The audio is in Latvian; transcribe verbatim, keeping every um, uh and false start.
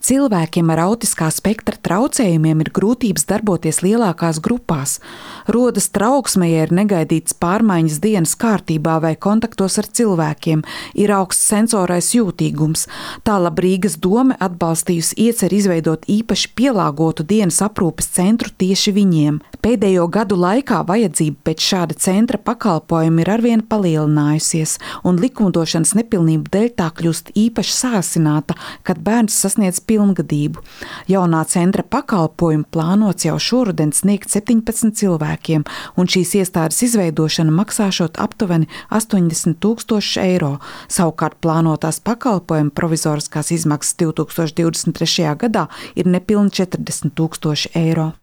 Cilvēkiem ar autiskā spektra traucējumiem ir grūtības darboties lielākās grupās. Rodas trauksme, ja ir negaidītas pārmaiņas dienas kārtībā vai kontaktos ar cilvēkiem, ir augsts sensorais jūtīgums. Tālāk Rīgas dome atbalstījusi ieceri izveidot īpaši pielāgotu dienas aprūpes centru tieši viņiem. Pēdējo gadu laikā vajadzība pēc šāda centra pakalpojuma ir arvien palielinājusies, un likumdošanas nepilnību dēļ tā kļūst īpaši sāsināta, kad bērns sasniedz pilngadību. Jaunā centra pakalpojumu plānots jau šoruden sniegt septiņpadsmit cilvēkiem, un šīs iestādes izveidošana maksāšot aptuveni astoņdesmit tūkstoši eiro. Savukārt plānotās pakalpojumu provizoriskās izmaksas divtūkstoš divdesmit trešajā gadā ir nepilni četrdesmit tūkstoši eiro.